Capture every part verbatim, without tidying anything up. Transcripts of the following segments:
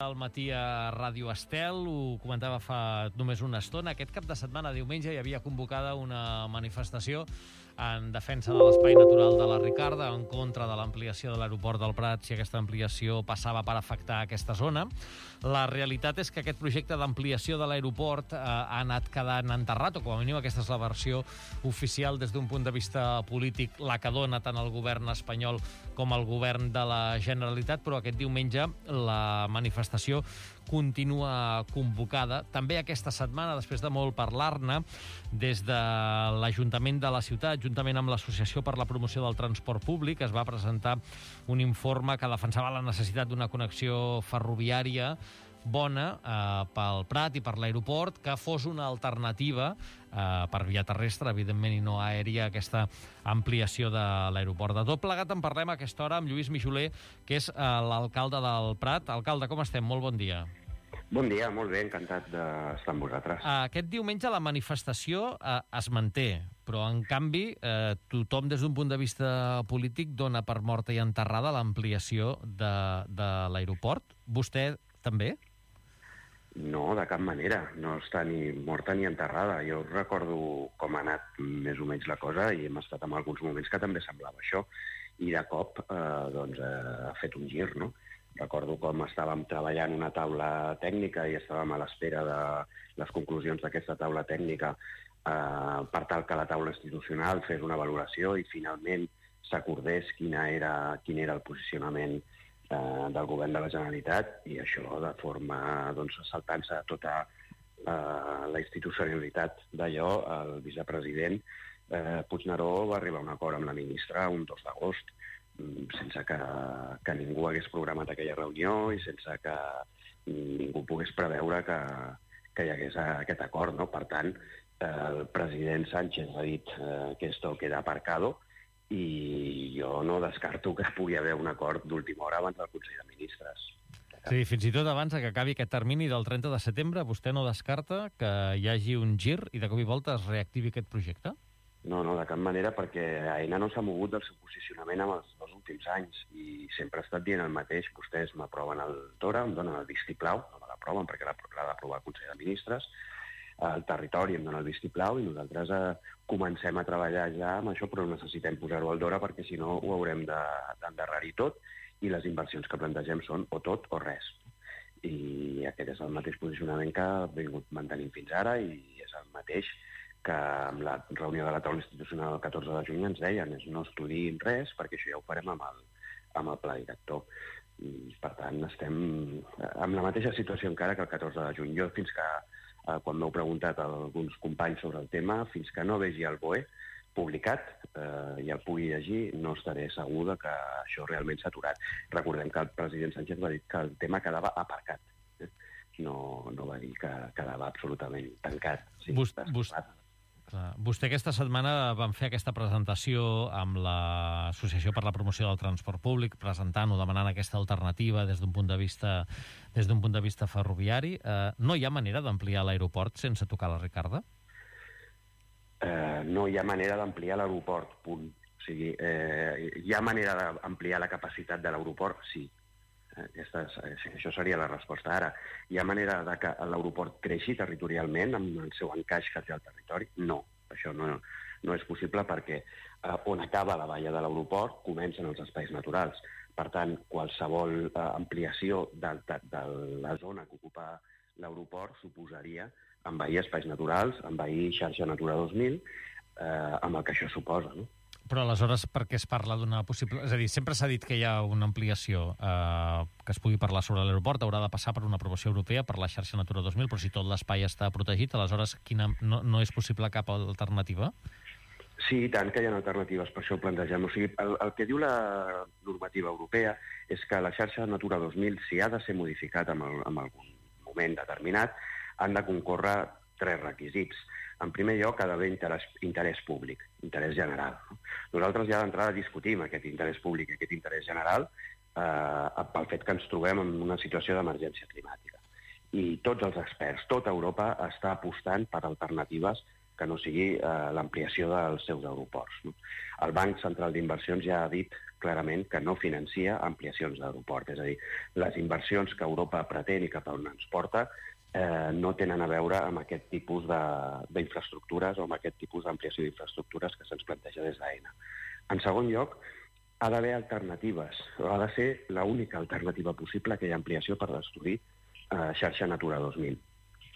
al matí a Ràdio Estel, ho comentava fa només una estona. Aquest cap de setmana, diumenge, hi havia convocada una manifestació en defensa de l'espai natural de la Ricarda, en contra de l'ampliació de l'aeroport del Prat, si aquesta ampliació passava per afectar aquesta zona. La realitat és que aquest projecte d'ampliació de l'aeroport eh, ha anat quedant enterrat, o com a mínim aquesta és la versió oficial des d'un punt de vista polític, la que dona tant el govern espanyol com el govern de la Generalitat, però aquest diumenge la manifestació continua convocada. També aquesta setmana, després de molt parlar-ne, des de l'Ajuntament de la ciutat, juntament amb l'Associació per la Promoció del Transport Públic, es va presentar un informe que defensava la necessitat d'una connexió ferroviària bona eh, pel Prat i per l'aeroport, que fos una alternativa eh, per via terrestre, evidentment, i no aèria, aquesta ampliació de l'aeroport. De tot plegat en parlem a aquesta hora amb Lluís Mijoler, que és eh, l'alcalde del Prat. Alcalde, com estem? Molt bon dia. Bon dia, molt bé, encantat d'estar amb vosaltres. Aquest diumenge la manifestació eh, es manté, però en canvi eh, tothom des d'un punt de vista polític dona per morta i enterrada l'ampliació de, de l'aeroport. Vostè també? No, de cap manera. No està ni morta ni enterrada. Jo recordo com ha anat més o menys la cosa i hem estat en alguns moments que també semblava això. I de cop eh, doncs, eh, ha fet un gir, no? Recordo com estàvem treballant una taula tècnica i estàvem a l'espera de les conclusions d'aquesta taula tècnica eh, per tal que la taula institucional fes una valoració i finalment s'acordés quina era, quin era el posicionament eh, del govern de la Generalitat, i això de forma doncs, saltant-se tota eh, la institucionalitat d'allò. El vicepresident eh, Puigneró va arribar a un acord amb la ministra un dos d'agost, sense que, que ningú hagués programat aquella reunió i sense que ningú pogués preveure que, que hi hagués aquest acord, no? Per tant, el president Sánchez ha dit eh, que esto queda aparcado i jo no descarto que pugui haver un acord d'última hora abans del Consell de Ministres. Sí, fins i tot abans que acabi aquest termini del trenta de setembre, vostè no descarta que hi hagi un gir i de cop i volta es reactivi aquest projecte? No, no, de cap manera, perquè Aena no s'ha mogut del seu posicionament en els dos últims anys i sempre ha estat dient el mateix. Vostès m'aproven el Tora, em donen el vistiplau, no me l'aproven perquè l'ha d'aprovar el Consell de Ministres, el territori em dona el vistiplau i nosaltres eh, comencem a treballar ja amb això, però necessitem posar-ho al Dora perquè si no ho haurem d'endarrerir tot i les inversions que plantegem són o tot o res. I aquest és el mateix posicionament que ha vingut mantenint fins ara i és el mateix que amb la reunió de la taula institucional el catorze de juny ens deien és no estudiïn res perquè això ja ho farem amb el, amb el pla director. I, per tant, estem amb la mateixa situació encara que el catorze de juny. Jo, fins que, eh, quan m'heu preguntat a alguns companys sobre el tema, fins que no vegi el B O E publicat eh, i el pugui llegir, no estaré segur de que això realment s'ha aturat. Recordem que el president Sánchez va dir que el tema quedava aparcat. Eh? No, no va dir que quedava absolutament tancat. Sí, Vos, vos... Vostè aquesta setmana van fer aquesta presentació amb l'Associació per la Promoció del Transport Públic, presentant o demanant aquesta alternativa des d'un punt de vista des d'un punt de vista ferroviari. Eh, no hi ha manera d'ampliar l'aeroport sense tocar la Ricarda? Eh, no hi ha manera d'ampliar l'aeroport, punt. O sigui, eh, hi ha manera d'ampliar la capacitat de l'aeroport? Sí. Aquesta és, això seria la resposta ara. Hi ha manera de que l'aeroport creixi territorialment amb el seu encaix que té al territori? No, això no, no és possible perquè eh, on acaba la valla de l'aeroport comencen els espais naturals. Per tant, qualsevol eh, ampliació de, de, de la zona que ocupa l'aeroport suposaria envair espais naturals, envair xarxa Natura dos mil, eh, amb el que això suposa, no? Però aleshores per què es parla d'una possible... És a dir, sempre s'ha dit que hi ha una ampliació eh, que es pugui parlar sobre l'aeroport, haurà de passar per una aprovació europea per la xarxa Natura dos mil, però si tot l'espai està protegit, aleshores quina... no, no és possible cap alternativa? Sí, i tant que hi ha alternatives, per això ho plantegem. O sigui, el, el que diu la normativa europea és que la xarxa Natura dos mil, si ha de ser modificat en, el, en algun moment determinat, han de concórrer tres requisits. En primer lloc, ha d'haver interès, interès públic, interès general. Nosaltres ja d'entrada discutim aquest interès públic, aquest interès general, eh, pel fet que ens trobem en una situació d'emergència climàtica. I tots els experts, tota Europa està apostant per alternatives que no sigui eh, l'ampliació dels seus aeroports. No? El Banc Central d'Inversions ja ha dit clarament que no financia ampliacions d'aeroport, és a dir, les inversions que Europa pretén i cap on ens porta eh, no tenen a veure amb aquest tipus d'infraestructures o amb aquest tipus d'ampliació d'infraestructures que se'ns planteja des d'Aena. En segon lloc, ha d'haver alternatives, ha de ser l'única alternativa possible a aquella ampliació per destruir eh, xarxa Natura dos mil.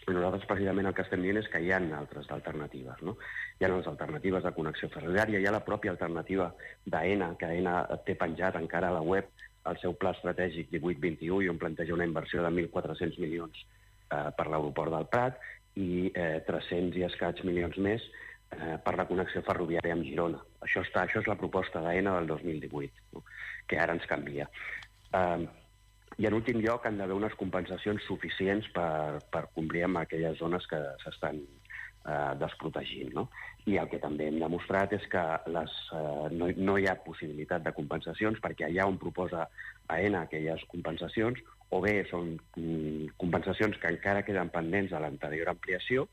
I nosaltres precisament el que estem dient és que hi ha altres alternatives, no? Hi ha les alternatives de connexió ferroviària, hi ha la pròpia alternativa d'Aena, que Aena té penjat encara a la web el seu pla estratègic divuit vint u i on planteja una inversió de mil quatre-cents milions eh, per l'aeroport del Prat i eh, tres-cents i escaig milions més eh, per la connexió ferroviària amb Girona. Això, està, això és la proposta d'Aena del dos mil divuit, no? Que ara ens canvia. Eh, I en últim lloc han d'haver unes compensacions suficients per, per complir amb aquelles zones que s'estan eh, desprotegint. No? I el que també hem demostrat és que les, eh, no, no hi ha possibilitat de compensacions perquè allà on proposa Aena aquelles compensacions o bé són mm, compensacions que encara queden pendents de l'anterior ampliació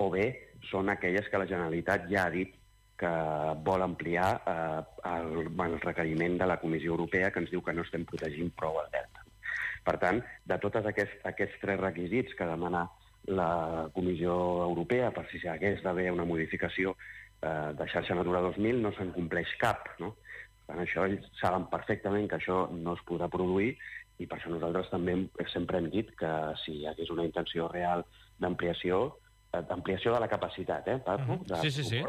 o bé són aquelles que la Generalitat ja ha dit que vol ampliar eh, el, el requeriment de la Comissió Europea que ens diu que no estem protegint prou el delta. Per tant, de tots aquests, aquests tres requisits que demana la Comissió Europea per si hagués d'haver una modificació eh, de xarxa Natura dos mil, no se'n compleix cap. No? Per tant, això ells saben perfectament que això no es podrà produir i per això nosaltres també sempre hem dit que si hi hagués una intenció real d'ampliació, eh, d'ampliació de la capacitat, eh, parlo, uh -huh. sí, sí, sí.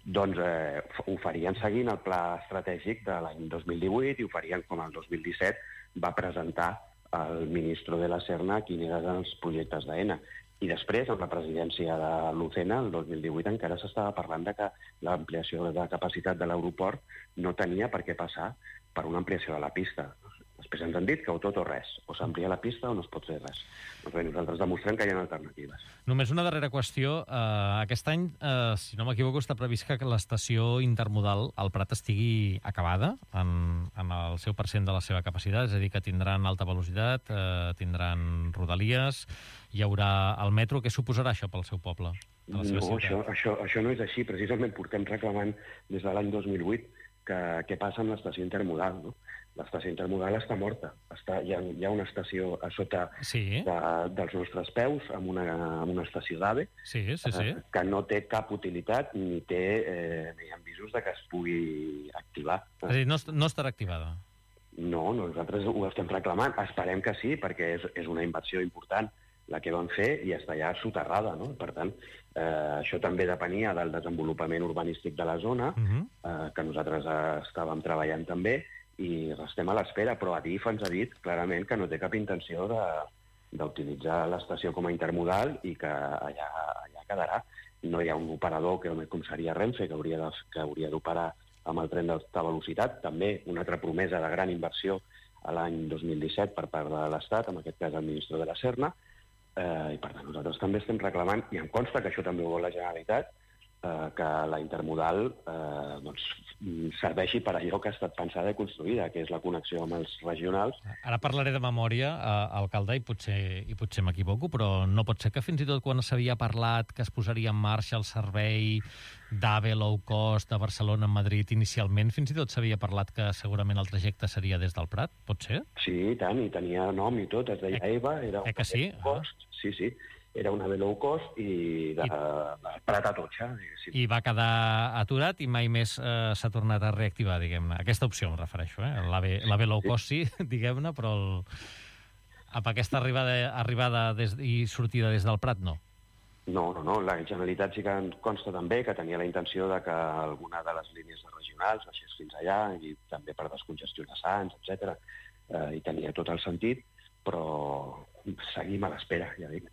doncs eh, ho farien seguint el pla estratègic de l'any dos mil divuit i ho farien com el dos mil disset va presentar el ministre de la Serna quins eren els projectes d'Aena. I després, amb la presidència de l'Ucena, el dos mil divuit, encara s'estava parlant de que l'ampliació de capacitat de l'aeroport no tenia per què passar per una ampliació de la pista. Després ens han dit que o tot o res, o s'amplia la pista o no es pot fer res. Doncs bé, nosaltres demostrem que hi ha alternatives. Només una darrera qüestió. Uh, aquest any, uh, si no m'equivoco, està previst que l'estació intermodal al Prat estigui acabada en, en el seu percent de la seva capacitat, és a dir, que tindran alta velocitat, uh, tindran rodalies, hi haurà el metro. Què suposarà això pel seu poble? No, això, això, això no és així. Precisament portem reclamant des de l'any dos mil vuit que què passa amb l'estació intermodal, no? L'estació intermodal està morta. Està, hi, ha, hi ha una estació a sota sí. de, dels nostres peus, amb una, amb una estació d'AVE, sí, sí, sí. eh, que no té cap utilitat ni té eh, ni hi ha visos de que es pugui activar. És a dir, no, no estarà activada? No, nosaltres ho estem reclamant. Esperem que sí, perquè és, és una inversió important la que van fer i està ja soterrada, no? Per tant, eh, això també depenia del desenvolupament urbanístic de la zona, uh-huh. eh, que nosaltres eh, estàvem treballant també, i restem a l'espera, però Adif ens ha dit clarament que no té cap intenció d'utilitzar l'estació com a intermodal i que allà, allà quedarà. No hi ha un operador que, com seria Renfe, que hauria de, que hauria d'operar amb el tren d'alta velocitat. També una altra promesa de gran inversió a l'any dos mil disset per part de l'Estat, en aquest cas el ministre de la Serna, eh, i per tant nosaltres també estem reclamant, i em consta que això també ho vol la Generalitat, eh, que la intermodal eh, doncs, serveixi per allò que ha estat pensada i construïda, que és la connexió amb els regionals. Ara parlaré de memòria, eh, alcalde, i potser, i potser m'equivoco, però no pot ser que fins i tot quan s'havia parlat que es posaria en marxa el servei d'AVE low cost de Barcelona a Madrid inicialment, fins i tot s'havia parlat que segurament el trajecte seria des del Prat, pot ser? Sí, i tant, i tenia nom i tot, es deia eh, EVA, era eh que sí? low cost, ah. sí, sí, era un AVE low cost i de, I... de Prat a Totxa. Sí. I va quedar aturat i mai més eh, s'ha tornat a reactivar, diguem-ne. Aquesta opció em refereixo, eh? L'AVE low cost sí, diguem-ne, però el... amb aquesta arribada, arribada des... i sortida des del Prat no. No, no, no. La Generalitat sí que en consta també que tenia la intenció de que alguna de les línies regionals baixés fins allà i també per descongestionar Sants, etcètera. Eh, I tenia tot el sentit, però seguim a l'espera, ja dic.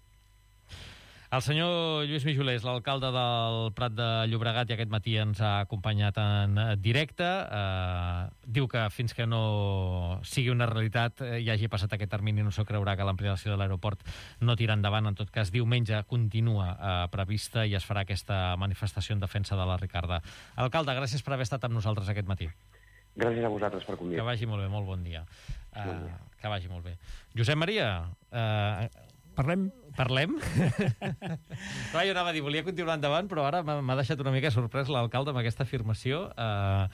El senyor Lluís Mijolers, l'alcalde del Prat de Llobregat, i aquest matí ens ha acompanyat en directe. Eh, diu que fins que no sigui una realitat, eh, i hagi passat aquest termini, no s'ho creurà que l'ampliació de l'aeroport no tira endavant. En tot cas, diumenge continua eh, prevista i es farà aquesta manifestació en defensa de la Ricarda. Alcalde, gràcies per haver estat amb nosaltres aquest matí. Gràcies a vosaltres per convidar. Que vagi molt bé, molt bon dia. Uh, que vagi molt bé. Josep Maria, uh, Parlem? Parlem? Clar, jo anava a dir, volia continuar endavant, però ara m'ha deixat una mica sorprès l'alcalde amb aquesta afirmació, eh,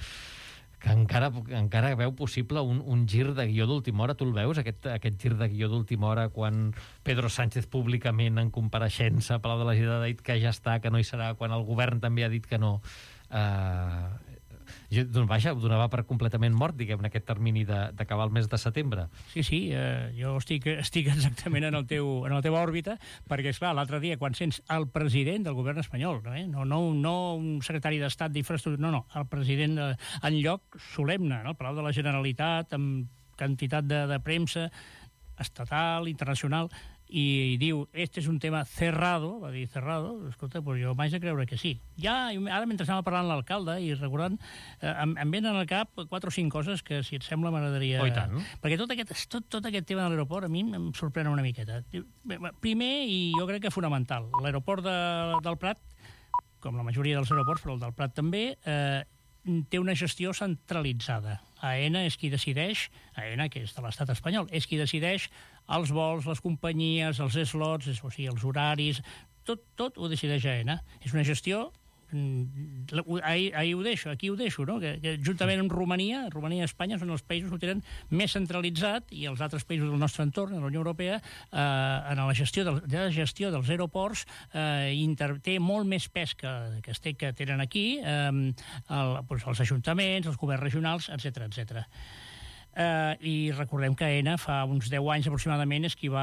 que encara, encara veu possible un, un gir de guió d'última hora. Tu el veus, aquest, aquest gir de guió d'última hora, quan Pedro Sánchez públicament en compareixença a Palau de la Generalitat ha dit que ja està, que no hi serà, quan el govern també ha dit que no. Eh, jo, doncs vaja, ho donava per completament mort, diguem, en aquest termini d'acabar el mes de setembre. Sí, sí, eh, jo estic, estic exactament en, el teu, en la teva òrbita, perquè, esclar, l'altre dia, quan sents el president del govern espanyol, no, eh? no, no, no un secretari d'Estat d'infraestructura, no, no, el president de, en lloc solemne, no? Al Palau de la Generalitat, amb quantitat de, de premsa estatal, internacional, i diu, este és un tema cerrado, va dir cerrado, escolta, pues jo m'haig de creure que sí. Ja, ara mentre anava parlant l'alcalde i recordant, eh, em, em venen al cap quatre o cinc coses que, si et sembla, m'agradaria... Oh, i tant. Perquè tot aquest, tot, tot aquest tema de l'aeroport a mi em sorprèn una miqueta. Primer, i jo crec que fonamental, l'aeroport de, del Prat, com la majoria dels aeroports, però el del Prat també, eh, té una gestió centralitzada. AENA és qui decideix, AENA, que és de l'estat espanyol, és qui decideix els vols, les companyies, els slots, o sigui, els horaris, tot, tot ho decideix AENA. És una gestió... Ahir, ahir ho deixo, aquí ho deixo, no? Que, que juntament amb Romania, Romania i Espanya són els països que ho tenen més centralitzat, i els altres països del nostre entorn, de la Unió Europea, eh, en la gestió, del, de la gestió dels aeroports, eh, inter, té molt més pes que, que, es té, que tenen aquí, eh, el, doncs els ajuntaments, els governs regionals, etcètera, etcètera. Eh, I recordem que AENA fa uns deu anys aproximadament és qui va